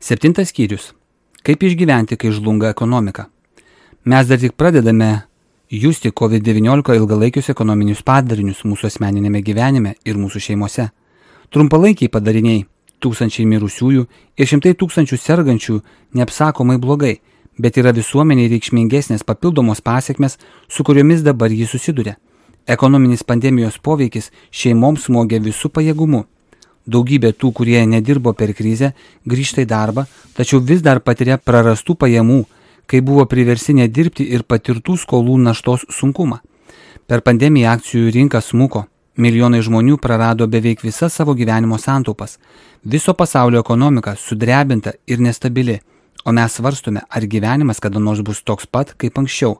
7 skyrius. Kaip išgyventi, kai žlunga ekonomika? Mes dar tik pradedame justi COVID-19 ilgalaikius ekonominius padarinius mūsų asmeninėme gyvenime ir mūsų šeimose. Trumpalaikiai padariniai, tūkstančiai mirusiųjų ir šimtai tūkstančių sergančių neapsakomai blogai, bet yra visuomeniai reikšmingesnės papildomos pasekmes, su kuriomis dabar jis susiduria. Ekonominis pandemijos poveikis šeimoms smogia visų pajėgumu. Daugybė tų, kurie nedirbo per krizę, grįžta į darbą, tačiau vis dar patiria prarastų pajamų, kai buvo priversti nedirbti ir patirtų skolų naštos sunkumą. Per pandemiją akcijų rinka smuko, milijonai žmonių prarado beveik visas savo gyvenimo santaupas. Viso pasaulio ekonomika sudrebinta ir nestabili, o mes svarstome, ar gyvenimas kada nors bus toks pat kaip anksčiau.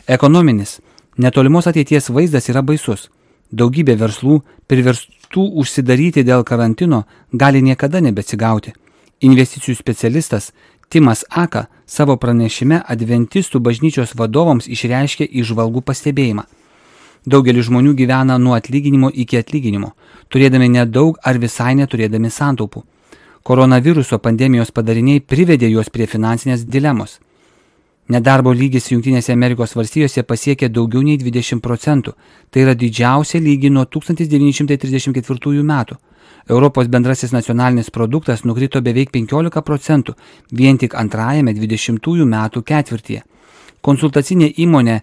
Ekonominis, netolimos ateities vaizdas yra baisus. Daugybė verslų priverstų užsidaryti dėl karantino gali niekada nebeatsigauti. Investicijų specialistas Timas Aka savo pranešime Adventistų bažnyčios vadovams išreiškė įžvalgų pastebėjimą. Daugelis žmonių gyvena nuo atlyginimo iki atlyginimo, turėdami nedaug ar visai neturėdami santaupų. Koronaviruso pandemijos padariniai privedė juos prie finansinės dilemos. Nedarbo lygis Jungtinėse Amerikos valstijose pasiekė daugiau nei 20%. Tai yra didžiausia lygi nuo 1934 metų. Europos bendrasis nacionalinis produktas nukrito beveik 15% vien tik antrajame 20 metų ketvirtyje. Konsultacinė įmonė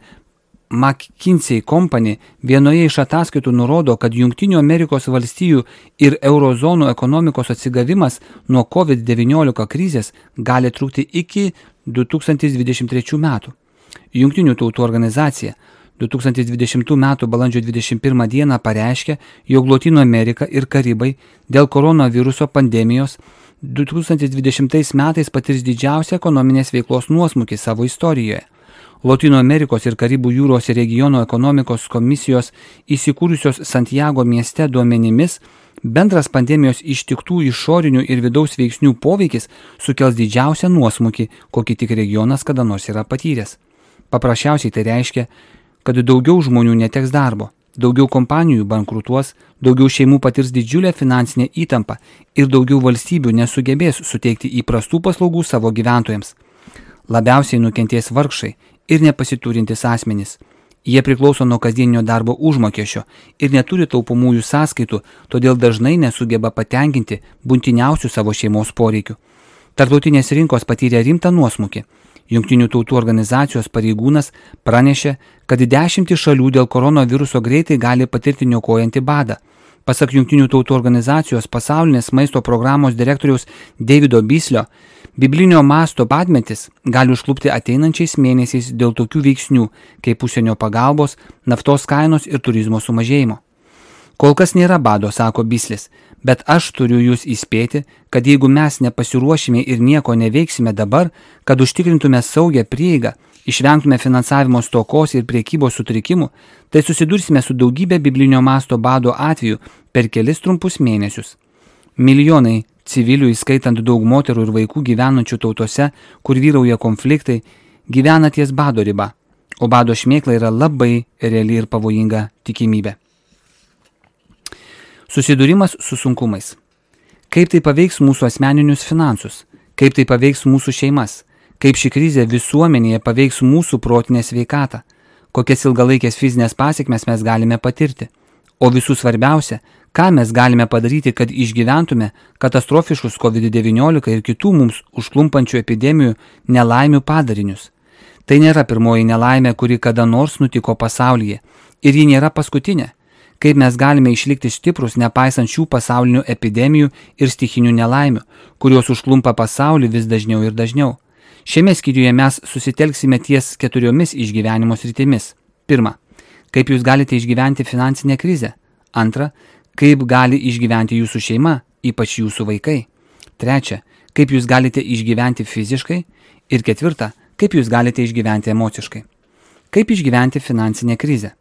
McKinsey Company vienoje iš ataskaitų nurodo, kad Jungtinių Amerikos valstijų ir eurozonų ekonomikos atsigavimas nuo COVID-19 krizės gali trukti iki 2023 metų. Jungtinių tautų organizacija 2020 metų balandžio 21 dieną pareiškė, jog Lotynų Amerika ir Karibai dėl koronaviruso pandemijos 2020 metais patirs didžiausią ekonominės veiklos nuosmukį savo istorijoje. Lotynų Amerikos ir Karibų jūros regiono ekonomikos komisijos įsikūrusios Santiago mieste duomenimis, bendras pandemijos ištiktų išorinių ir vidaus veiksnių poveikis sukels didžiausią nuosmukį, kokį tik regionas kada nors yra patyręs. Paprasčiausiai tai reiškia, kad daugiau žmonių neteks darbo, daugiau kompanijų bankrutuos, daugiau šeimų patirs didžiulę finansinę įtampą ir daugiau valstybių nesugebės suteikti įprastų paslaugų savo gyventojams. Labiausiai nukentės vargšai ir nepasiturintys asmenys. Jie priklauso nuo kasdieninio darbo užmokesčio ir neturi taupomųjų sąskaitų, todėl dažnai nesugeba patenkinti būtiniausių savo šeimos poreikių. Tarptautinės rinkos patyrė rimtą nuosmukį. Jungtinių tautų organizacijos pareigūnas pranešė, kad 10 šalių dėl koronaviruso greitai gali patirti niokojantį badą. Pasak Jungtinių tautų organizacijos pasaulinės maisto programos direktoriaus Davido Bislio, biblinio masto badmetis gali užklupti ateinančiais mėnesiais dėl tokių veiksnių, kaip užsienio pagalbos, naftos kainos ir turizmo sumažėjimo. Kol kas nėra bado, sako Bislis, bet aš turiu jūs įspėti, kad jeigu mes nepasiruošime ir nieko neveiksime dabar, kad užtikrintume saugią prieigą, išvengtume finansavimo stokos ir priekybos sutrikimų, tai susidursime su daugybė biblinio masto bado atveju per kelis trumpus mėnesius. Milijonai civilių, įskaitant daug moterų ir vaikų gyvenančių tautose, kur vyrauja konfliktai, gyvena ties bado riba, o bado šmėkla yra labai reali ir pavojinga tikimybė. Susidūrimas su sunkumais. Kaip tai paveiks mūsų asmeninius finansus? Kaip tai paveiks mūsų šeimas? Kaip ši krizė visuomenėje paveiks mūsų protinę sveikatą? Kokias ilgalaikės fizinės pasekmes mes galime patirti? O visų svarbiausia, ką mes galime padaryti, kad išgyventume katastrofiškus COVID-19 ir kitų mums užklumpančių epidemijų nelaimių padarinius. Tai nėra pirmoji nelaimė, kuri kada nors nutiko pasaulyje, ir ji nėra paskutinė. Kaip mes galime išlikti stiprus, nepaisant šių pasaulinių epidemijų ir stichinių nelaimių, kurios užklumpa pasaulį vis dažniau ir dažniau. Šiame skyriuje mes susitelksime ties 4 išgyvenimo sritimis. 1. Kaip jūs galite išgyventi finansinę krizę? 2. Kaip gali išgyventi jūsų šeima, ypač jūsų vaikai? 3. Kaip jūs galite išgyventi fiziškai? Ir 4. Kaip jūs galite išgyventi emociškai? Kaip išgyventi finansinę krizę?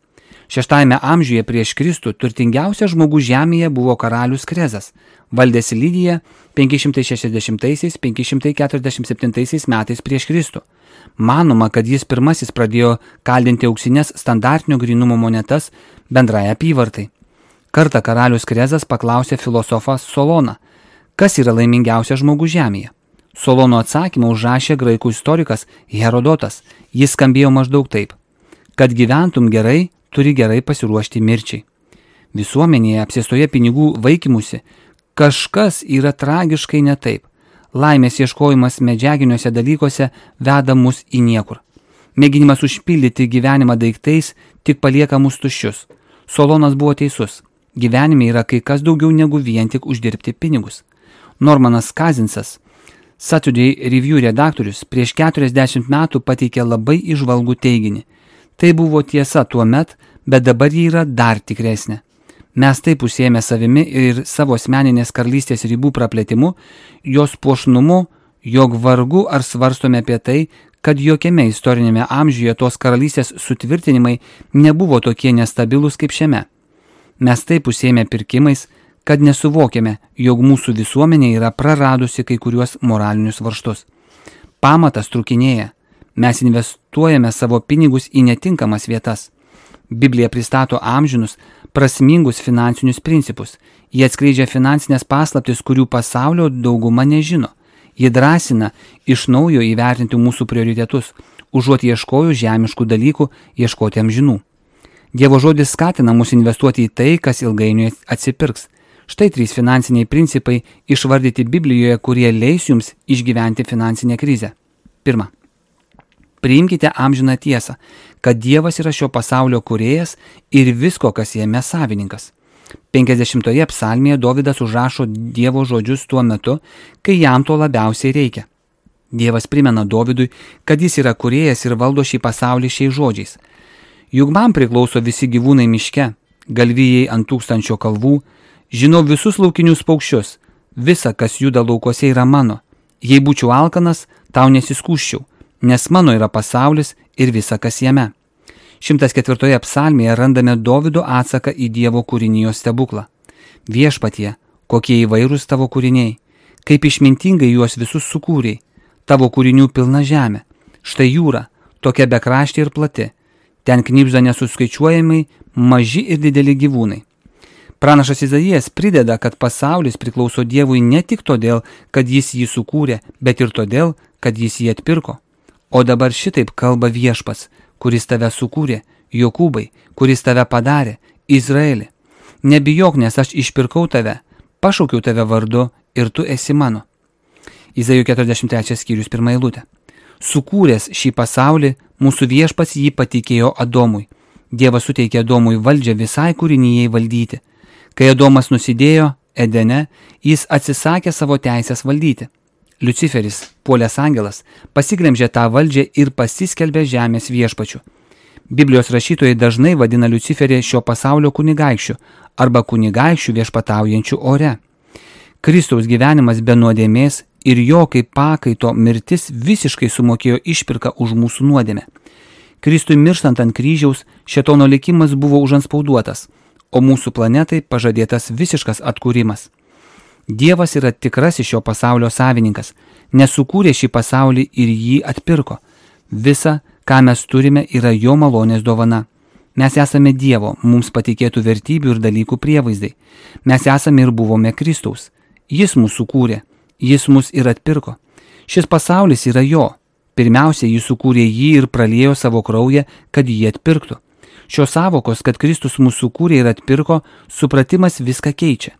6 amžiuje prieš Kristų turtingiausias žmogus žemėje buvo karalius Krezas, valdęs Lidiją 560–547 metais prieš Kristų. Manoma, kad jis pirmasis pradėjo kaldinti auksinės standartinio grynumo monetas bendrai apyvartai. Kartą karalius Krezas paklausė filosofą Soloną, kas yra laimingiausias žmogus žemėje. Solono atsakymą užrašė graikų istorikas Herodotas. Jis skambėjo maždaug taip: kad gyventum gerai, turi gerai pasiruošti mirčiai. Visuomenėje apsėstoje pinigų vaikymusi kažkas yra tragiškai ne taip. Laimės ieškojimas medžiaginiuose dalykuose veda mus į niekur. Mėginimas užpildyti gyvenimą daiktais tik palieka mus tuščius. Solonas buvo teisus. Gyvenime yra kai kas daugiau negu vien tik uždirbti pinigus. Normanas Kazinsas, Saturday Review redaktorius, prieš 40 metų pateikė labai įžvalgų teiginį. Tai buvo tiesa tuo met, bet dabar ji yra dar tikresnė. Mes taip užsiėmę savimi ir savo asmeninės karalystės ribų praplėtimu, jos puošnumu, jog vargu ar svarstome apie tai, kad jokiame istorinėme amžiuje tos karalystės sutvirtinimai nebuvo tokie nestabilūs kaip šiame. Mes taip užsiėmę pirkimais, kad nesuvokėme, jog mūsų visuomenė yra praradusi kai kuriuos moralinius varžtus. Pamatas trūkinėja. Mes investuojame savo pinigus į netinkamas vietas. Biblija pristato amžinus, prasmingus finansinius principus. Jie atskleidžia finansinės paslaptis, kurių pasaulio dauguma nežino. Ji drąsina iš naujo įvertinti mūsų prioritetus, užuot ieškojus žemiškų dalykų, ieškoti amžinų. Dievo žodis skatina mus investuoti į tai, kas ilgainiui atsipirks. Štai 3 finansiniai principai išvardyti Biblijoje, kurie leis jums išgyventi finansinę krizę. 1. Priimkite amžiną tiesą, kad Dievas yra šio pasaulio kūrėjas ir visko, kas jame savininkas. 50 psalmėje Dovydas užrašo Dievo žodžius tuo metu, kai jam to labiausiai reikia. Dievas primena Dovydui, kad jis yra kūrėjas ir valdo šį pasaulį šiais žodžiais. Juk man priklauso visi gyvūnai miške, galvijai ant 1000 kalvų, žinau visus laukinius paukščius, visa, kas juda laukuose, yra mano. Jei būčiau alkanas, tau nesiskųsčiau, nes mano yra pasaulis ir visa, kas jame. 104 psalmėje randame Dovydo atsaką į Dievo kūrinijos stebuklą. Viešpatie, kokie įvairūs tavo kūriniai, kaip išmintingai juos visus sukūrei, tavo kūrinių pilna žemė, štai jūra, tokia bekraštė ir plati, ten knibžda nesuskaičiuojamai maži ir dideli gyvūnai. Pranašas Izaijas prideda, kad pasaulis priklauso Dievui ne tik todėl, kad jis jį sukūrė, bet ir todėl, kad jis jį atpirko. O dabar šitaip kalba Viešpats, kuris tave sukūrė, Jokūbai, kuris tave padarė, Izraeli. Nebijok, nes aš išpirkau tave, pašaukiau tave vardu ir tu esi mano. Izaijo 43 skyrius 1 eilutė. Sukūręs šį pasaulį, mūsų Viešpats jį patikėjo Adomui. Dievas suteikė Adomui valdžią visai kūrinijai valdyti. Kai Adomas nusidėjo Edene, jis atsisakė savo teisės valdyti. Liuciferis, puolęs angelas, pasiglemžė tą valdžią ir pasiskelbė žemės viešpačiu. Biblijos rašytojai dažnai vadina Liuciferį šio pasaulio kunigaikščiu arba kunigaikščiu viešpataujančiu ore. Kristaus gyvenimas be nuodėmės ir jo kaip pakaito mirtis visiškai sumokėjo išpirką už mūsų nuodėmę. Kristui mirštant ant kryžiaus, šėtono likimas buvo užantspauduotas, o mūsų planetai pažadėtas visiškas atkūrimas. Dievas yra tikrasis šio pasaulio savininkas, nesukūrė šį pasaulį ir jį atpirko. Visa, ką mes turime, yra jo malonės dovana. Mes esame Dievo, mums patikėtų vertybių ir dalykų prievaizdai. Mes esame ir buvome Kristaus. Jis mūsų sukūrė, jis mus ir atpirko. Šis pasaulis yra jo. Pirmiausia, jis sukūrė jį ir praliejo savo kraują, kad jį atpirktų. Šios savokos, kad Kristus mūsų sukūrė ir atpirko, supratimas viską keičia.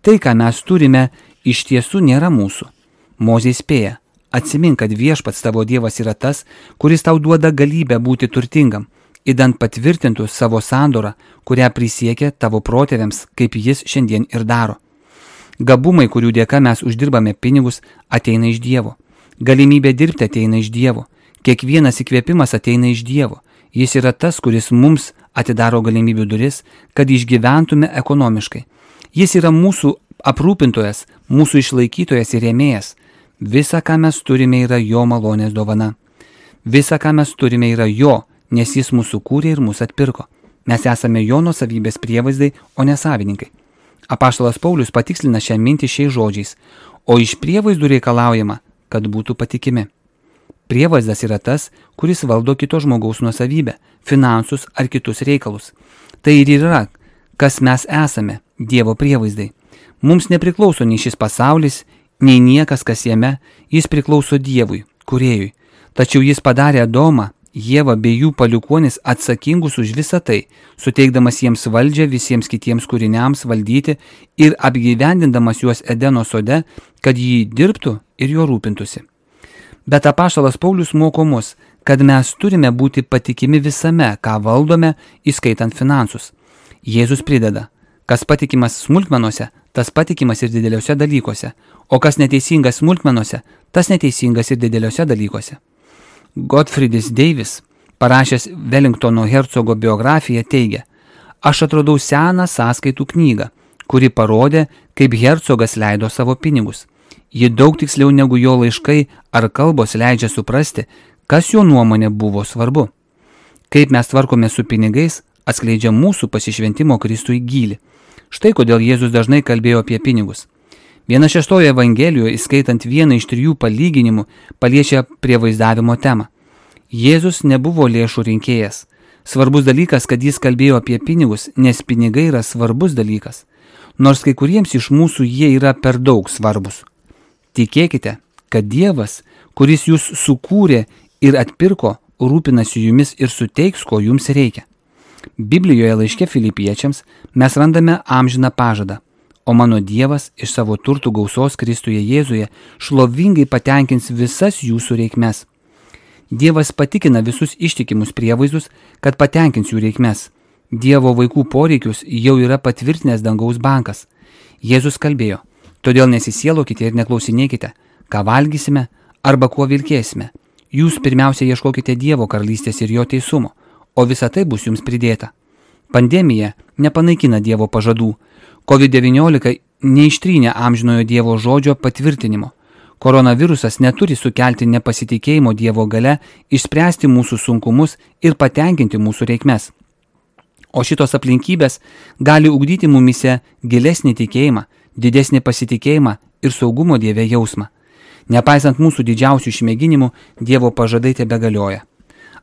Tai, ką mes turime, iš tiesų nėra mūsų. Mozė įspėja, atsimink, kad Viešpats tavo Dievas yra tas, kuris tau duoda galybę būti turtingam, idant patvirtintų savo sandorą, kurią prisiekė tavo protėviams, kaip jis šiandien ir daro. Gabumai, kurių dėka mes uždirbame pinigus, ateina iš Dievo. Galimybė dirbti ateina iš Dievo. Kiekvienas įkvėpimas ateina iš Dievo. Jis yra tas, kuris mums atidaro galimybių duris, kad išgyventume ekonomiškai. Jis yra mūsų aprūpintojas, mūsų išlaikytojas ir rėmėjas. Visa, ką mes turime, yra jo malonės dovana. Visa, ką mes turime, yra jo, nes jis mūsų kūrė ir mūsų atpirko. Mes esame jo nuosavybės prievaizdai, o ne savininkai. Apaštalas Paulius patikslina šią mintį šiais žodžiais, o iš prievaizdų reikalaujama, kad būtų patikimi. Prievaizdas yra tas, kuris valdo kito žmogaus nuosavybę, finansus ar kitus reikalus. Tai ir yra, kas mes esame, Dievo prievaizdai. Mums nepriklauso nei šis pasaulis, nei niekas, kas jame, jis priklauso Dievui, Kūrėjui. Tačiau jis padarė Adomą, Ievą bei jų palikuonis atsakingus už visą tai, suteikdamas jiems valdžią visiems kitiems kūriniams valdyti ir apgyvendindamas juos Edeno sode, kad jį dirbtų ir jo rūpintųsi. Bet apaštalas Paulius moko mus, kad mes turime būti patikimi visame, ką valdome, įskaitant finansus. Jėzus prideda, kas patikimas smulkmenose, tas patikimas ir dideliuose dalykuose, o kas neteisingas smulkmenose, tas neteisingas ir dideliuose dalykuose. Godfriedis Davis, parašęs Wellingtono hercogo biografiją, teigia, aš atradau seną sąskaitų knygą, kuri parodė, kaip hercogas leido savo pinigus. Ji daug tiksliau negu jo laiškai ar kalbos leidžia suprasti, kas jo nuomonė buvo svarbu. Kaip mes tvarkome su pinigais, atskleidžia mūsų pasišventimo Kristui gylį. Štai kodėl Jėzus dažnai kalbėjo apie pinigus. 1/6 Evangelijoje, įskaitant vieną iš 3 palyginimų, paliečia prievaizdavimo temą. Jėzus nebuvo lėšų rinkėjas. Svarbus dalykas, kad jis kalbėjo apie pinigus, nes pinigai yra svarbus dalykas. Nors kai kuriems iš mūsų jie yra per daug svarbus. Tikėkite, kad Dievas, kuris jūs sukūrė ir atpirko, rūpinasi jumis ir suteiks, ko jums reikia. Biblijoje laiške Filipiečiams mes randame amžiną pažadą. O mano Dievas iš savo turtų gausos Kristuje Jėzuje šlovingai patenkins visas jūsų reikmes. Dievas patikina visus ištikimus prievaizdus, kad patenkins jų reikmes. Dievo vaikų poreikius jau yra patvirtinęs dangaus bankas. Jėzus kalbėjo, todėl nesisielokite ir neklausinėkite, ką valgysime arba kuo vilkėsime. Jūs pirmiausia ieškokite Dievo karalystės ir jo teisumo, o visa tai bus jums pridėta. Pandemija nepanaikina Dievo pažadų. COVID-19 neištrynė amžinojo Dievo žodžio patvirtinimo. Koronavirusas neturi sukelti nepasitikėjimo Dievo gale, išspręsti mūsų sunkumus ir patenkinti mūsų reikmes. O šitos aplinkybės gali ugdyti mumise gilesnį tikėjimą, didesnį pasitikėjimą ir saugumo Dieve jausmą. Nepaisant mūsų didžiausių išmėginimų, Dievo pažadai tebegalioja.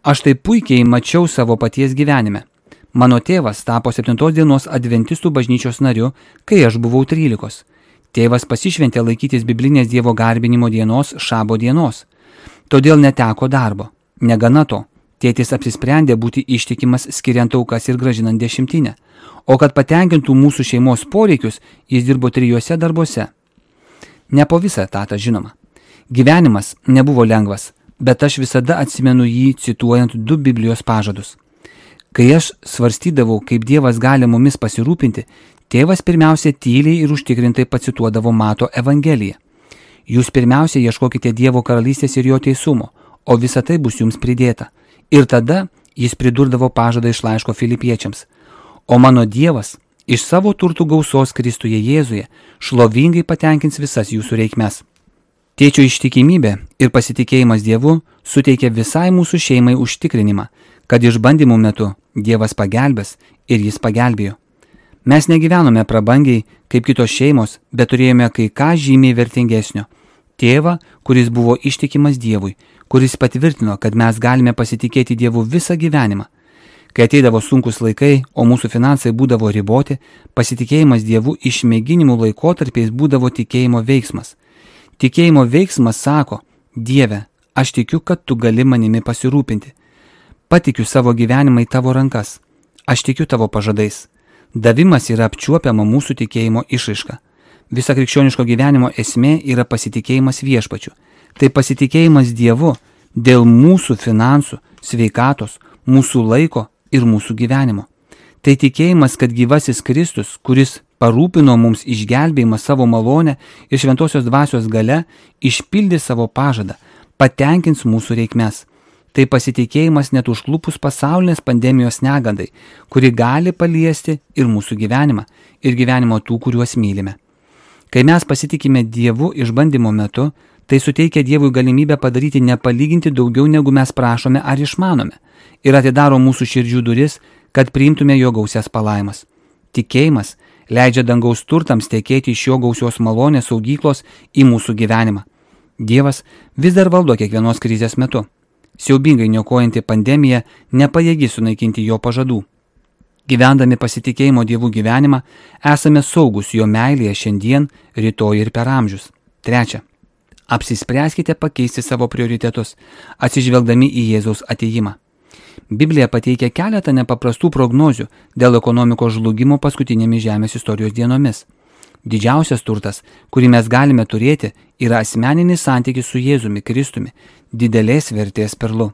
Aš tai puikiai mačiau savo paties gyvenime. Mano tėvas tapo 7 dienos adventistų bažnyčios nariu, kai aš buvau 13. Tėvas pasišventė laikytis biblinės Dievo garbinimo dienos, šabo dienos. Todėl neteko darbo. Negana to, tėtis apsisprendė būti ištikimas skiriant aukas ir gražinant dešimtinę. O kad patenkintų mūsų šeimos poreikius, jis dirbo 3 darbuose. Ne po visą etatą, žinoma. Gyvenimas nebuvo lengvas, bet aš visada atsimenu jį cituojant 2 Biblijos pažadus. Kai aš svarstydavau, kaip Dievas gali mumis pasirūpinti, tėvas pirmiausia tyliai ir užtikrintai pacituodavo Mato Evangeliją. Jūs pirmiausia ieškokite Dievo karalystės ir jo teisumo, o visa tai bus jums pridėta. Ir tada jis pridurdavo pažadą iš laiško Filipiečiams. O mano Dievas iš savo turtų gausos Kristuje Jėzuje šlovingai patenkins visas jūsų reikmes. Tėčio ištikimybė ir pasitikėjimas Dievu suteikia visai mūsų šeimai užtikrinimą, kad išbandymų metu Dievas pagelbės ir jis pagelbėjo. Mes negyvenome prabangiai kaip kitos šeimos, bet turėjome kai ką žymiai vertingesnio. Tėvą, kuris buvo ištikimas Dievui, kuris patvirtino, kad mes galime pasitikėti Dievu visą gyvenimą. Kai ateidavo sunkus laikai, o mūsų finansai būdavo riboti, pasitikėjimas Dievu išmėginimų laikotarpiais būdavo tikėjimo veiksmas. Tikėjimo veiksmas sako, Dieve, aš tikiu, kad tu gali manimi pasirūpinti. Patikiu savo gyvenimą į tavo rankas. Aš tikiu tavo pažadais. Davimas yra apčiuopiama mūsų tikėjimo išraiška. Visa krikščioniško gyvenimo esmė yra pasitikėjimas viešpačiu. Tai pasitikėjimas Dievu dėl mūsų finansų, sveikatos, mūsų laiko ir mūsų gyvenimo. Tai tikėjimas, kad gyvasis Kristus, kuris parūpino mums išgelbėjimą savo malonę ir šventosios dvasios gale, išpildė savo pažadą, patenkins mūsų reikmes. Tai pasitikėjimas net užklupus pasaulinės pandemijos negandai, kuri gali paliesti ir mūsų gyvenimą, ir gyvenimo tų, kuriuos mylime. Kai mes pasitikime Dievu išbandymo metu, tai suteikia Dievui galimybę padaryti nepalyginti daugiau, negu mes prašome ar išmanome, ir atidaro mūsų širdžių duris, kad priimtume jo gausias palaimas. Tikėjimas leidžia dangaus turtams tekėti iš jo gausios malonės saugyklos į mūsų gyvenimą. Dievas vis dar valdo kiekvienos krizės metu. Siaubingai niokojanti pandemija nepajėgi sunaikinti jo pažadų. Gyvendami pasitikėjimo Dievu gyvenimą, esame saugus jo meilėje šiandien, rytoj ir per amžius. Trečia. Apsispręskite pakeisti savo prioritetus, atsižvelgdami į Jėzaus atėjimą. Biblija pateikia keletą nepaprastų prognozių dėl ekonomikos žlugimo paskutinėmis žemės istorijos dienomis. Didžiausias turtas, kurį mes galime turėti, yra asmeninis santykis su Jėzumi Kristumi, didelės vertės perlu.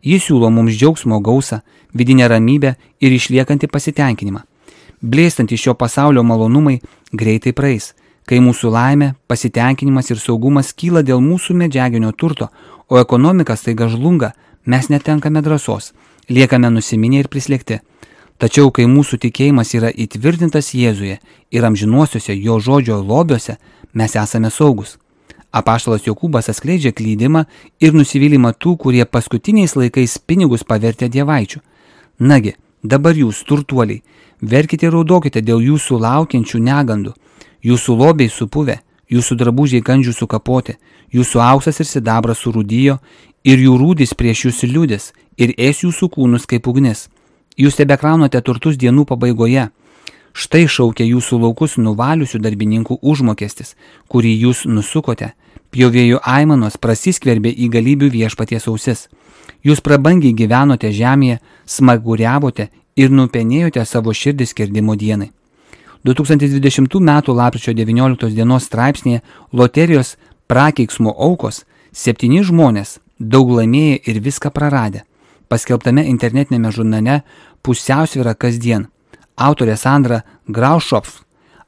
Jis siūlo mums džiaugsmo gausą, vidinę ramybę ir išliekantį pasitenkinimą. Blėstantys šio pasaulio malonumai greitai praeis, kai mūsų laimė, pasitenkinimas ir saugumas kyla dėl mūsų medžiaginio turto, o ekonomika staiga žlunga, mes netenkame drąsos, liekame nusiminę ir prislėgti. Tačiau, kai mūsų tikėjimas yra įtvirtintas Jėzuje ir amžinuosiuose jo žodžio lobiuose, mes esame saugus. Apaštalas Jokūbas atskleidžia klydimą ir nusivylimą tų, kurie paskutiniais laikais pinigus pavertė dievaičių. Nagi, dabar jūs, turtuoliai, verkite ir raudokite dėl jūsų laukiančių negandų. Jūsų lobiai supuvę, jūsų drabužiai kandžių sukapoti, jūsų auksas ir sidabras surūdijo, ir jų rūdys prieš jūs liūdės, ir ės jūsų kūnus kaip ugnis. Jūs tebekraunote turtus dienų pabaigoje. Štai šaukia jūsų laukus nuvaliusių darbininkų užmokestis, kurį jūs nusukote. Pjovėjų aimanos prasiskverbė į galybių viešpaties ausis. Jūs prabangiai gyvenote žemėje, smaguriavote ir nupenėjote savo širdį skerdimo dienai. 2020 m. lapkričio 19 dienos straipsnėje loterijos prakeiksmo aukos 7 žmonės, daug laimėję ir viską praradę. Paskelbtame internetinėme žurnale Pusiausvyra kasdien. Autorė Sandra Graušopf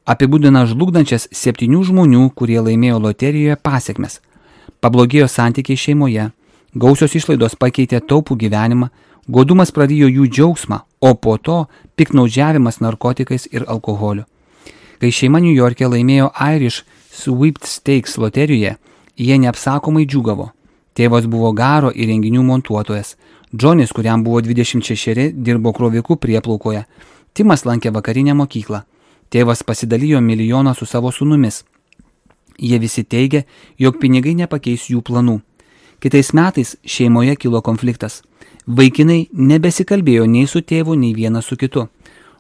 apibūdina žlugdančias 7 žmonių, kurie laimėjo loterijoje pasekmes. Pablogėjo santykiai šeimoje, gausios išlaidos pakeitė taupų gyvenimą, godumas prarijo jų džiaugsmą, o po to piktnaudžiavimas narkotikais ir alkoholiu. Kai šeima New York'e laimėjo Irish Sweepstakes loterijoje, jie neapsakomai džiūgavo. Tėvas buvo garo ir renginių montuotojas. Džonis, kuriam buvo 26, dirbo kroviku prieplaukoje. Timas lankė vakarinę mokyklą. Tėvas pasidalijo milijoną su savo sūnumis. Jie visi teigia, jog pinigai nepakeis jų planų. Kitais metais šeimoje kilo konfliktas. Vaikinai nebesikalbėjo nei su tėvu, nei vienas su kitu.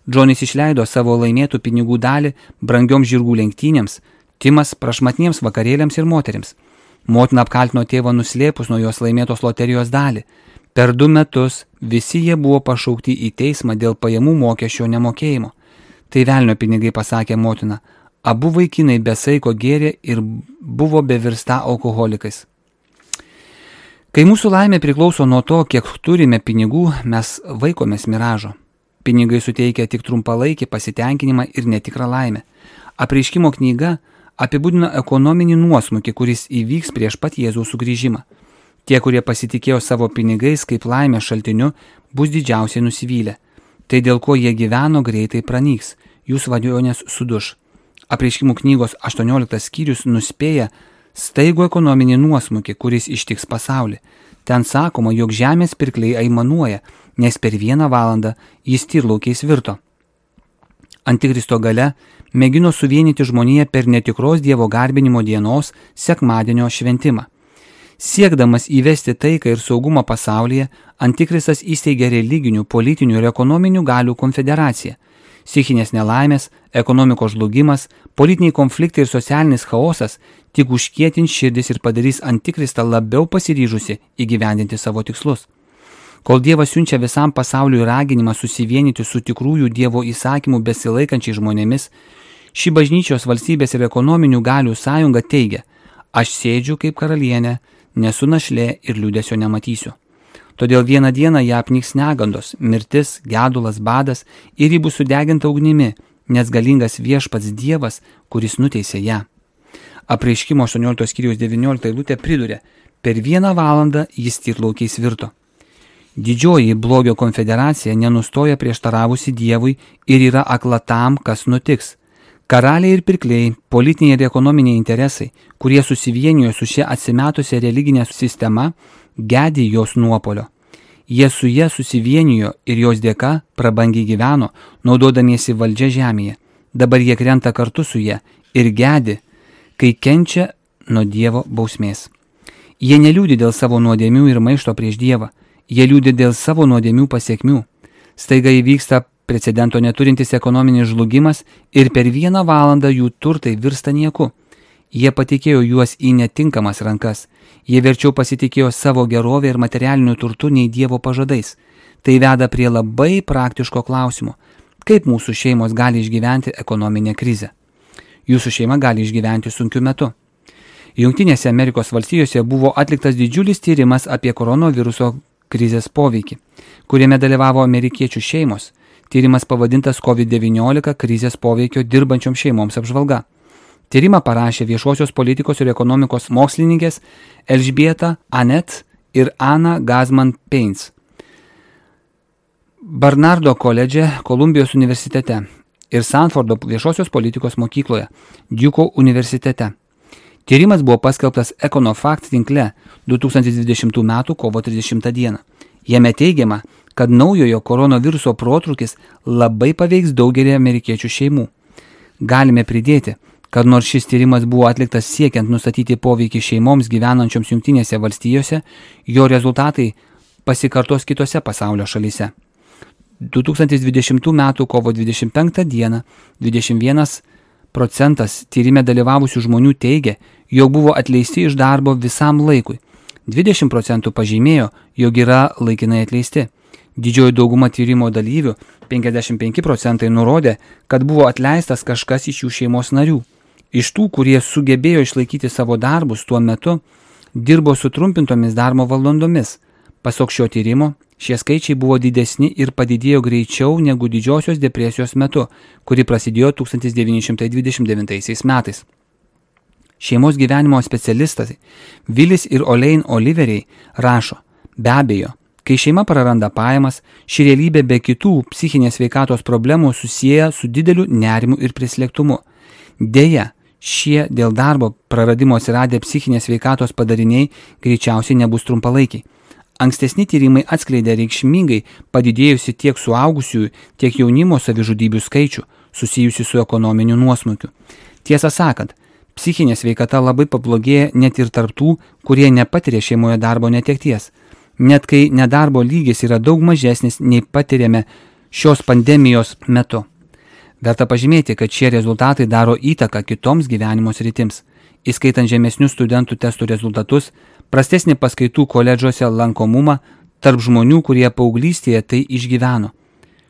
Džonis išleido savo laimėtų pinigų dalį brangioms žirgų lenktynėms, Timas prašmatniems vakarėliams ir moterims. Motina apkaltino tėvą nuslėpus nuo jos laimėtos loterijos dalį. Per 2 metus visi jie buvo pašaukti į teismą dėl pajamų mokesčio nemokėjimo. Tai velnio pinigai, pasakė motina. Abu vaikinai be saiko gėrė ir buvo bevirsta alkoholikais. Kai mūsų laimė priklauso nuo to, kiek turime pinigų, mes vaikomės miražo. Pinigai suteikia tik trumpalaikį pasitenkinimą ir netikrą laimę. Apreiškimo knyga apibūdina ekonominį nuosmukį, kuris įvyks prieš pat Jėzaus sugrįžimą. Tie, kurie pasitikėjo savo pinigais kaip laimės šaltiniu, bus didžiausiai nusivylę. Tai dėl ko jie gyveno greitai pranyks, jų svajonės suduš. Apreiškimų knygos 18 skyrius nuspėja staigų ekonominį nuosmukį, kuris ištiks pasaulį. Ten sakoma, jog žemės pirkliai aimanuoja, nes per 1 valandą jis tyrlaukiais virto. Antikristo gale mėgino suvienyti žmoniją per netikros Dievo garbinimo dienos sekmadienio šventimą. Siekdamas įvesti taiką ir saugumą pasaulyje, Antikristas įsteigė religinių, politinių ir ekonominių galių konfederaciją. Psichinės nelaimės, ekonomikos žlugimas, politiniai konfliktai ir socialinis chaosas tik užkietins širdis ir padarys Antikristą labiau pasiryžusi įgyvendinti savo tikslus. Kol Dievas siunčia visam pasauliui raginimą susivienyti su tikrųjų Dievo įsakymų besilaikančiai žmonėmis, ši bažnyčios valstybės ir ekonominių galių sąjunga teigia: aš sėdžiu kaip karalienė, nesu našlė ir liūdesio nematysiu. Todėl vieną dieną ją apniks negandos, mirtis, gedulas, badas ir ji bus sudeginta ugnimi, nes galingas viešpats Dievas, kuris nuteisė ją. Apreiškimo 18 skyriaus 19 eilutė priduria: per 1 valandą jis tyrlaukiais virto. Didžioji blogio konfederacija nenustoja prieštaravusi Dievui ir yra akla tam, kas nutiks. Karaliai ir pirkliai, politiniai ir ekonominiai interesai, kurie susivienijo su šia atsimetusia religinė sistema, gedi jos nuopolio. Jie su ja susivienijo ir jos dėka prabangiai gyveno, naudodamiesi valdžia žemėje. Dabar jie krenta kartu su ja ir gedi, kai kenčia nuo Dievo bausmės. Jie neliūdi dėl savo nuodėmių ir maišto prieš Dievą. Jie liūdi dėl savo nuodėmių pasiekmių. Staiga įvyksta precedento neturintis ekonominis žlugimas ir per 1 valandą jų turtai virsta nieku. Jie patikėjo juos į netinkamas rankas. Jie verčiau pasitikėjo savo gerovę ir materialiniu turtu nei Dievo pažadais. Tai veda prie labai praktiško klausimo. Kaip mūsų šeimos gali išgyventi ekonominę krizę? Jūsų šeima gali išgyventi sunkiu metu. Jungtinėse Amerikos valstijose buvo atliktas didžiulis tyrimas apie koronaviruso krizės poveikį, kuriame dalyvavo amerikiečių šeimos. Tyrimas pavadintas COVID-19 krizės poveikio dirbančioms šeimoms apžvalga. Tyrimą parašė viešosios politikos ir ekonomikos mokslininkės Elžbieta Anet ir Ana Gazman-Pains. Barnardo koledže Kolumbijos universitete ir Sanfordo viešosios politikos mokykloje Duke universitete. Tyrimas buvo paskelbtas EconoFact tinkle 2020 m. kovo 30 d. Jame teigiama, kad naujojo koronaviruso protrūkis labai paveiks daugelį amerikiečių šeimų. Galime pridėti, kad nors šis tyrimas buvo atliktas siekiant nustatyti poveikį šeimoms gyvenančioms Jungtinėse valstijose, jo rezultatai pasikartos kitose pasaulio šalyse. 2020 m. kovo 25 d. 21% tyrime dalyvavusių žmonių teigia, jog buvo atleisti iš darbo visam laikui. 20% pažymėjo, jog yra laikinai atleisti. Didžioji dauguma tyrimo dalyvių, 55% nurodė, kad buvo atleistas kažkas iš jų šeimos narių. Iš tų, kurie sugebėjo išlaikyti savo darbus tuo metu, dirbo sutrumpintomis darbo valandomis. Pasak šio tyrimo, šie skaičiai buvo didesni ir padidėjo greičiau negu didžiosios depresijos metu, kuri prasidėjo 1929 metais. Šeimos gyvenimo specialistai Vilis ir Olein Oliveriai rašo, be abejo, kai šeima praranda pajamas, ši realybė be kitų psichinės sveikatos problemų susieja su dideliu nerimu ir prislėgtumu. Deja, šie dėl darbo praradimo atsiradę psichinės sveikatos padariniai greičiausiai nebus trumpalaikiai. Ankstesni tyrimai atskleidė reikšmingai padidėjusi tiek suaugusiųjų, tiek jaunimo savižudybių skaičių, susijusi su ekonominiu nuosmukiu. Tiesą sakant, psichinė sveikata labai pablogėja net ir tarptų, kurie nepatiria šeimoje darbo netekties. Net kai nedarbo lygis yra daug mažesnis nei patiriame šios pandemijos metu. Verta pažymėti, kad šie rezultatai daro įtaką kitoms gyvenimo sritims, įskaitant žemesnius studentų testų rezultatus, prastesnį paskaitų koledžuose lankomumą tarp žmonių, kurie paauglystėje tai išgyveno.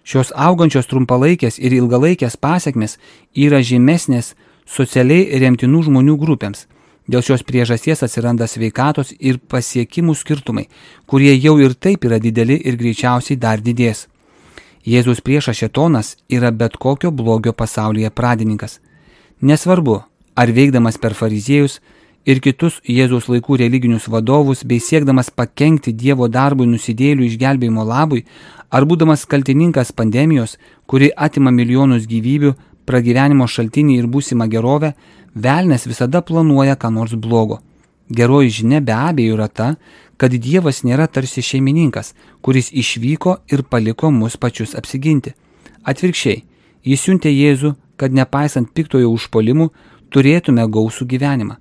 Šios augančios trumpalaikės ir ilgalaikės pasekmės yra žymesnės socialiai remtinų žmonių grupėms. Dėl šios priežasties atsiranda sveikatos ir pasiekimų skirtumai, kurie jau ir taip yra dideli ir greičiausiai dar didės. Jėzus priešas šėtonas yra bet kokio blogio pasaulyje pradininkas. Nesvarbu, ar veikdamas per fariziejus ir kitus Jėzaus laikų religinius vadovus bei siekdamas pakenkti Dievo darbui nusidėjėlių išgelbėjimo labui, ar būdamas kaltininkas pandemijos, kuri atima milijonus gyvybių, pragyvenimo šaltinį ir būsimą gerovę, velnias visada planuoja ką nors blogo. Geroji žinia be abejo yra ta, kad Dievas nėra tarsi šeimininkas, kuris išvyko ir paliko mus pačius apsiginti. Atvirkščiai, jis siuntė Jėzų, kad nepaisant piktojo užpuolimų, turėtume gausų gyvenimą.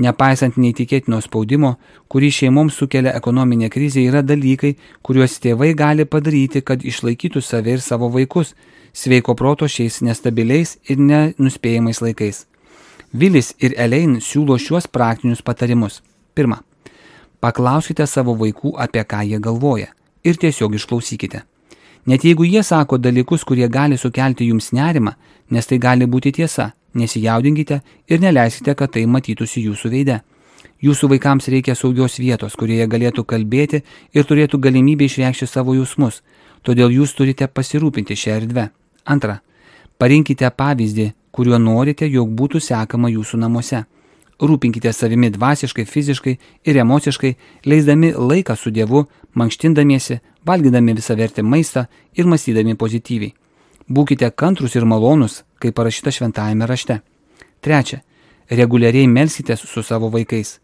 Nepaisant neįtikėtino spaudimo, kurį šeimoms sukelia ekonominė krizė, yra dalykai, kuriuos tėvai gali padaryti, kad išlaikytų save ir savo vaikus, sveiko proto šiais nestabiliais ir nenuspėjamais laikais. Vilis ir Elein siūlo šiuos praktinius patarimus. Pirma, paklauskite savo vaikų, apie ką jie galvoja, ir tiesiog išklausykite. Net jeigu jie sako dalykus, kurie gali sukelti jums nerimą, nes tai gali būti tiesa, nesijaudinkite ir neleiskite, kad tai matytųsi jūsų veide. Jūsų vaikams reikia saugios vietos, kurioje galėtų kalbėti ir turėtų galimybę išreikšti savo jausmus, todėl jūs turite pasirūpinti šią erdvę. Antra, parinkite pavyzdį, kuriuo norite, jog būtų sekama jūsų namuose. Rūpinkite savimi dvasiškai, fiziškai ir emociškai, leisdami laiką su Dievu, mankštindamiesi, valgydami visavertį maistą ir mąstydami pozityviai. Būkite kantrus ir malonus, kaip parašyta šventajame rašte. Trečia, reguliariai melskitės su savo vaikais.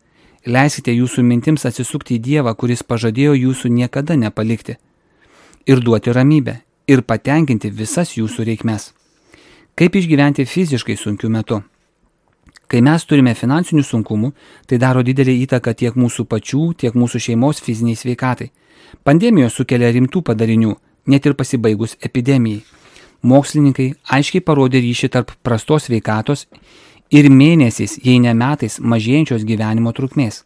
Leiskite jūsų mintims atsisukti į Dievą, kuris pažadėjo jūsų niekada nepalikti. Ir duoti ramybę, ir patenkinti visas jūsų reikmes. Kaip išgyventi fiziškai sunkiu metu? Kai mes turime finansinių sunkumų, tai daro didelį įtaką tiek mūsų pačių, tiek mūsų šeimos fiziniai sveikatai. Pandemijos sukelia rimtų padarinių, net ir pasibaigus epidemijai. Mokslininkai aiškiai parodė ryšį tarp prastos sveikatos ir mėnesiais, jei ne metais, mažėjančios gyvenimo trukmės.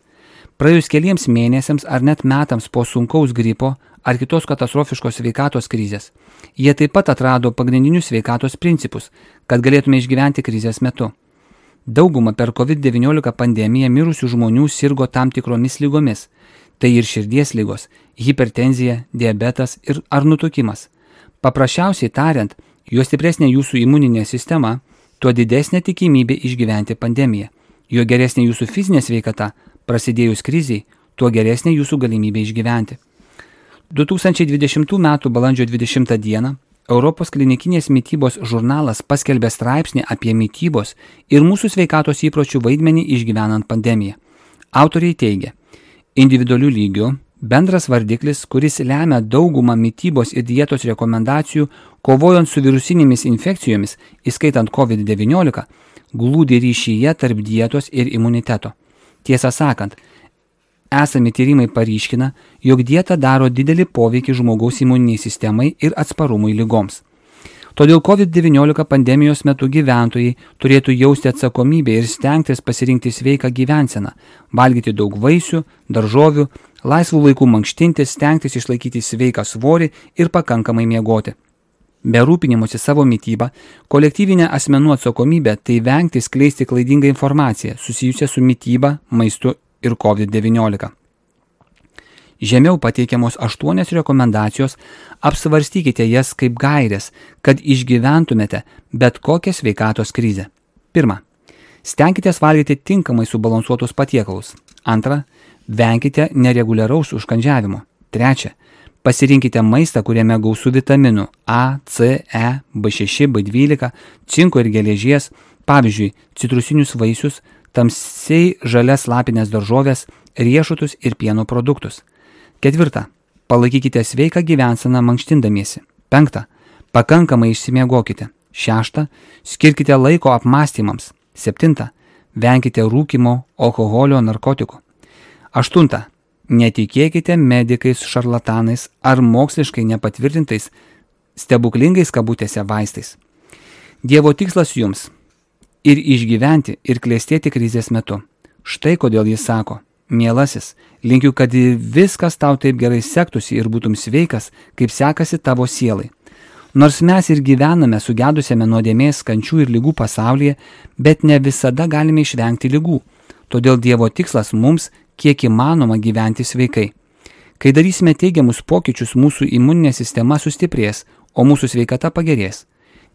Praėjus keliems mėnesiams ar net metams po sunkaus gripo ar kitos katastrofiškos sveikatos krizės, jie taip pat atrado pagrindinius sveikatos principus, kad galėtume išgyventi krizės metu. Dauguma per COVID-19 pandemiją mirusių žmonių sirgo tam tikromis lygomis. Tai ir širdies lygos, hipertenzija, diabetas ir ar nutukimas. Paprasčiausiai tariant, juo stipresnė jūsų imuninė sistema, tuo didesnė tikimybė išgyventi pandemiją. Jo geresnė jūsų fizinė sveikata, prasidėjus kriziai, tuo geresnė jūsų galimybė išgyventi. 2020 m. balandžio 20 d. Europos klinikinės mitybos žurnalas paskelbė straipsnį apie mitybos ir mūsų sveikatos įpročių vaidmenį išgyvenant pandemiją. Autoriai teigia, individualių lygių bendras vardiklis, kuris lemia daugumą mitybos ir dietos rekomendacijų, kovojant su virusinėmis infekcijomis, įskaitant COVID-19, glūdi ryšyje tarp dietos ir imuniteto. Tiesą sakant, esami tyrimai paryškina, jog dieta daro didelį poveikį žmogaus imuniniai sistemai ir atsparumui ligoms. Todėl COVID-19 pandemijos metu gyventojai turėtų jausti atsakomybę ir stengtis pasirinkti sveiką gyvenseną, valgyti daug vaisių, daržovių, laisvų laikų mankštintis, stengtis išlaikyti sveiką svorį ir pakankamai miegoti. Be rūpinimosi savo mitybą, kolektyvinė asmenų atsakomybė tai vengti skleisti klaidingą informaciją susijusią su mityba, maistu ir COVID-19. Žemiau pateikiamos 8 rekomendacijos, apsvarstykite jas kaip gairės, kad išgyventumėte bet kokią sveikatos krizę. 1. Stenkitės valgyti tinkamai subalansuotus patiekalus. 2. Venkite nereguliaraus užkandžiavimo. 3. Pasirinkite maistą, kuriame gausu vitaminų A, C, E, B6, B12, cinko ir geležies, pavyzdžiui, citrusinius vaisius, tamsiai žalias lapinės daržovės, riešutus ir pieno produktus. 4. Palaikykite sveiką gyvenseną mankštindamiesi. 5. Pakankamai išsimiegokite. 6. Skirkite laiko apmąstymams. 7. Venkite rūkymo, alkoholio, narkotikų. 8. Netikėkite medikais, šarlatanais ar moksliškai nepatvirtintais stebuklingais kabutėse vaistais. Dievo tikslas jums – ir išgyventi, ir klestėti krizės metu. Štai kodėl jis sako, mielasis, linkiu, kad viskas tau taip gerai sektųsi ir būtum sveikas, kaip sekasi tavo sielai. Nors mes ir gyvename sugedusiame nuodėmės, kančių ir lygų pasaulyje, bet ne visada galime išvengti lygų. Todėl Dievo tikslas mums kiek įmanoma gyventi sveikai. Kai darysime teigiamus pokyčius, mūsų imuninė sistema sustiprės, o mūsų sveikata pagerės.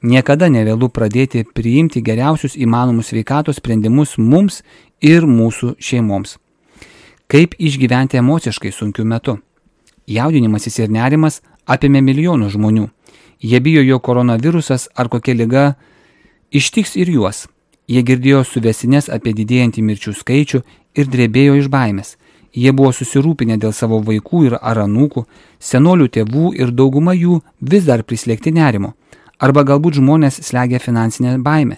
Niekada nevėlu pradėti priimti geriausius įmanomus sveikatos sprendimus mums ir mūsų šeimoms. Kaip išgyventi emociškai sunkiu metu? Jaudinimasis ir nerimas apėmė milijonų žmonių. Jie bijo, jog koronavirusas ar kokia liga ištiks ir juos. Jie girdėjo suvesines apie didėjantį mirčių skaičių ir drebėjo iš baimės. Jie buvo susirūpinę dėl savo vaikų ir ar anūkų, senolių tėvų ir dauguma jų vis dar prislėgti nerimo. Arba galbūt žmonės slegia finansinę baimę.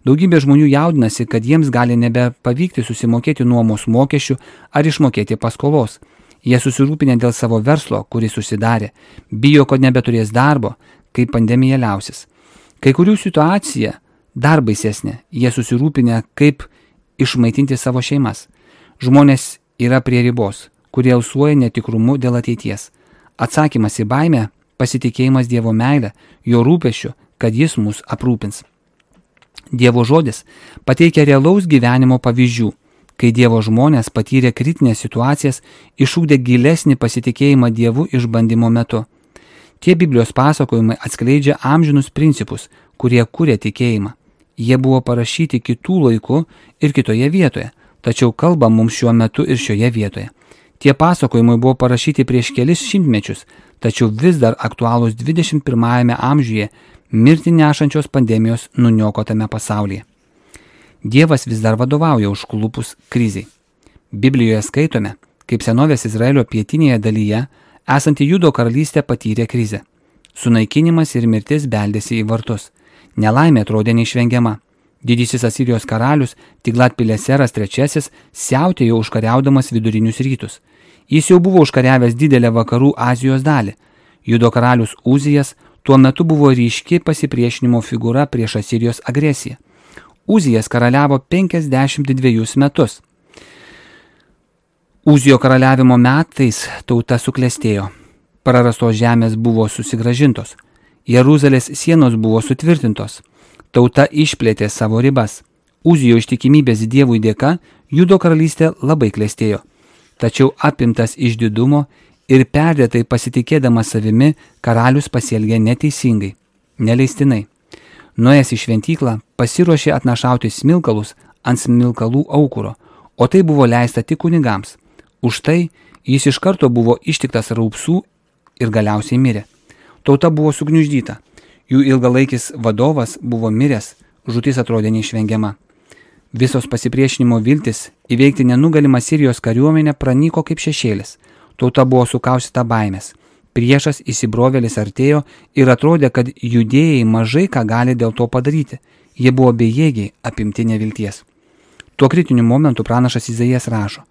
Daugybė žmonių jaudinasi, kad jiems gali nebepavykti susimokėti nuomos mokesčių ar išmokėti paskolos. Jie susirūpinę dėl savo verslo, kuris susidarė, bijo, kad nebeturės darbo, kai pandemija liausis. Kai kurių situacija dar baisesnė, jie susirūpinę, kaip išmaitinti savo šeimas. Žmonės yra prie ribos, kurie alsuoja netikrumu dėl ateities. Atsakymas į baimę – pasitikėjimas Dievo meilę, jo rūpesčiu, kad jis mus aprūpins. Dievo žodis pateikia realaus gyvenimo pavyzdžių, kai Dievo žmonės patyrė kritinės situacijas, išugdė gilesnį pasitikėjimą Dievu išbandymo metu. Tie Biblijos pasakojimai atskleidžia amžinus principus, kurie kuria tikėjimą. Jie buvo parašyti kitų laikų ir kitoje vietoje, tačiau kalba mums šiuo metu ir šioje vietoje. Tie pasakojimai buvo parašyti prieš kelis šimtmečius, tačiau vis dar aktualūs 21 amžiuje mirtį nešančios pandemijos nuniokotame pasaulyje. Dievas vis dar vadovauja užklupus kriziai. Biblijoje skaitome, kaip senovės Izraelio pietinėje dalyje esanti Judo karalystė patyrė krizę. Sunaikinimas ir mirtis beldėsi į vartus. Nelaimė atrodė neišvengiama. Didysis Asirijos karalius Tiglat-Pileseras III siautėjo užkariaudamas vidurinius rytus. Jis jau buvo užkariavęs didelę vakarų Azijos dalį. Judo karalius Uzijas tuo metu buvo ryški pasipriešinimo figūra prieš Asirijos agresiją. Uzijas karaliavo 52 metus. Uzijo karaliavimo metais tauta suklestėjo. Prarastos žemės buvo susigrąžintos. Jeruzalės sienos buvo sutvirtintos. Tauta išplėtė savo ribas. Uzijo ištikimybės Dievui dėka Judo karalystė labai klestėjo. Tačiau apimtas išdidumo ir perdėtai pasitikėdamas savimi, karalius pasielgė neteisingai, neleistinai. Nuėjęs į šventyklą, pasiruošė atnašauti smilkalus ant smilkalų aukuro, o tai buvo leista tik kunigams. Už tai jis iš karto buvo ištiktas raupsų ir galiausiai mirė. Tauta buvo sugniuždyta, jų ilgalaikis vadovas buvo miręs, žūtis atrodė neišvengiama. Visos pasipriešinimo viltis įveikti nenugalimą Sirijos kariuomenę pranyko kaip šešėlis. Tauta buvo sukaustyta baimės. Priešas įsibrovėlis artėjo ir atrodė, kad judėjai mažai ką gali dėl to padaryti. Jie buvo bejėgiai, apimti nevilties. Tuo kritiniu momentu pranašas Izaijas rašo: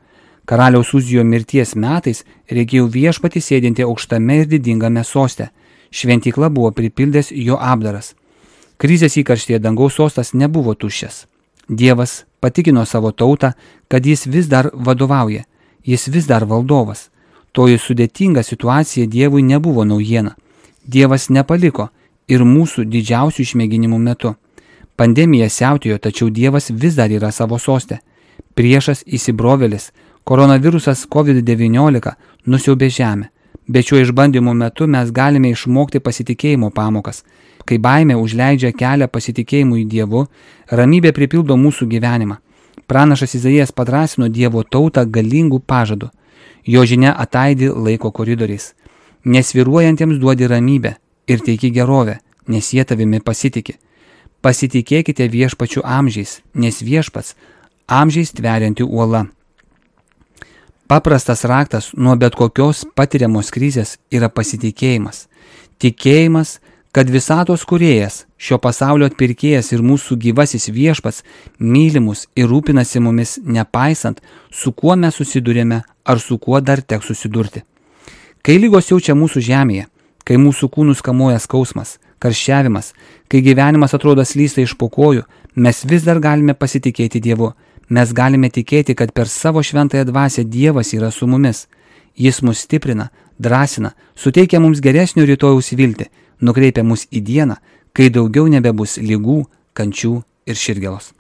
karaliaus Uzijo mirties metais reikėjo viešpatį sėdinti aukštame ir didingame soste. Šventykla buvo pripildęs jo apdaras. Krizės įkarštyje dangaus sostas nebuvo tuščias. Dievas patikino savo tautą, kad jis vis dar vadovauja, jis vis dar valdovas. Toji sudėtinga situacija Dievui nebuvo naujiena. Dievas nepaliko ir mūsų didžiausių išmėginimų metu. Pandemija siautėjo, tačiau Dievas vis dar yra savo soste. Priešas įsibrovėlis, koronavirusas COVID-19 nusiaubė žemę. Bet šiuo išbandymu metu mes galime išmokti pasitikėjimo pamokas. Kai baimė užleidžia kelią pasitikėjimui Dievu, ramybė pripildo mūsų gyvenimą. Pranašas Izaijas padrąsino Dievo tautą galingų pažadų. Jo žinia ataidi laiko koridoriais. Nesviruojantiems duodi ramybę ir teiki gerovę, nes jie tavimi pasitiki. Pasitikėkite viešpačiu amžiais, nes viešpats amžiais tverianti uola. Paprastas raktas nuo bet kokios patiriamos krizės yra pasitikėjimas. Tikėjimas, kad visatos kūrėjas, šio pasaulio atpirkėjas ir mūsų gyvasis viešpats myli mus ir rūpinasi mumis, nepaisant, su kuo mes susidurėme ar su kuo dar teks susidurti. Kai lygos jaučia mūsų žemėje, kai mūsų kūnus kamuoja skausmas, karščiavimas, kai gyvenimas atrodo slysta iš po kojų, mes vis dar galime pasitikėti Dievu. Mes galime tikėti, kad per savo šventąją dvasią Dievas yra su mumis. Jis mus stiprina, drąsina, suteikia mums geresnio rytojaus viltį, nukreipia mus į dieną, kai daugiau nebebus ligų, kančių ir širdgėlos.